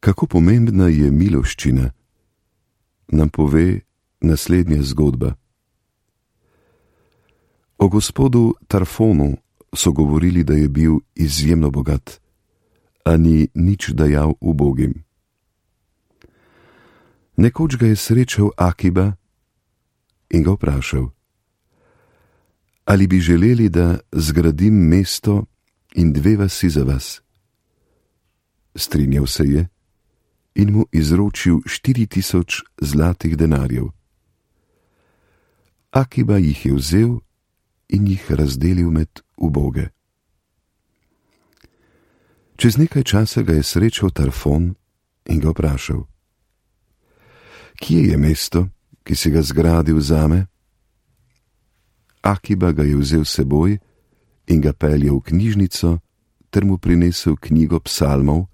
Kako pomembna je miloščina, nam pove naslednja zgodba. O gospodu Tarfonu so govorili, da je bil izjemno bogat, a ni nič dajal ubogim. Nekoč ga je srečal Akiba in ga vprašal: ali bi želeli, da zgradim mesto in 2 vasi za vas? Strinjal se je in mu izročil 4000 zlatih denarjev. Akiba jih je vzel in jih razdelil med uboge. Čez nekaj časa ga je srečal Tarfon in ga vprašal: kje je mesto, ki si ga zgradil zame? Akiba ga je vzel s seboj in ga peljal v knjižnico ter mu prinesel knjigo psalmov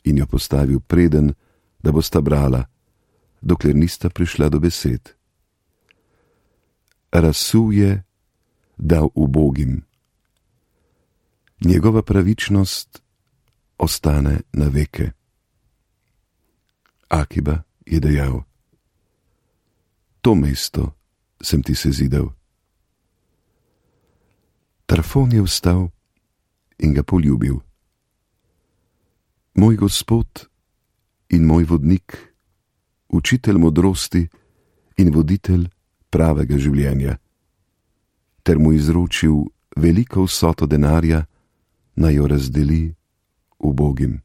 in jo postavil preden, da bosta brala, dokler nista prišla do besed. Razsul je, dal ubogim. Njegova pravičnost ostane na veke. Akiba je dejal: to mesto sem ti sezidal. Tarfon je vstal in ga poljubil. Moj gospod in moj vodnik, učitelj modrosti in voditelj pravega življenja, ter mu izročil veliko vsoto denarja, naj jo razdeli ubogim.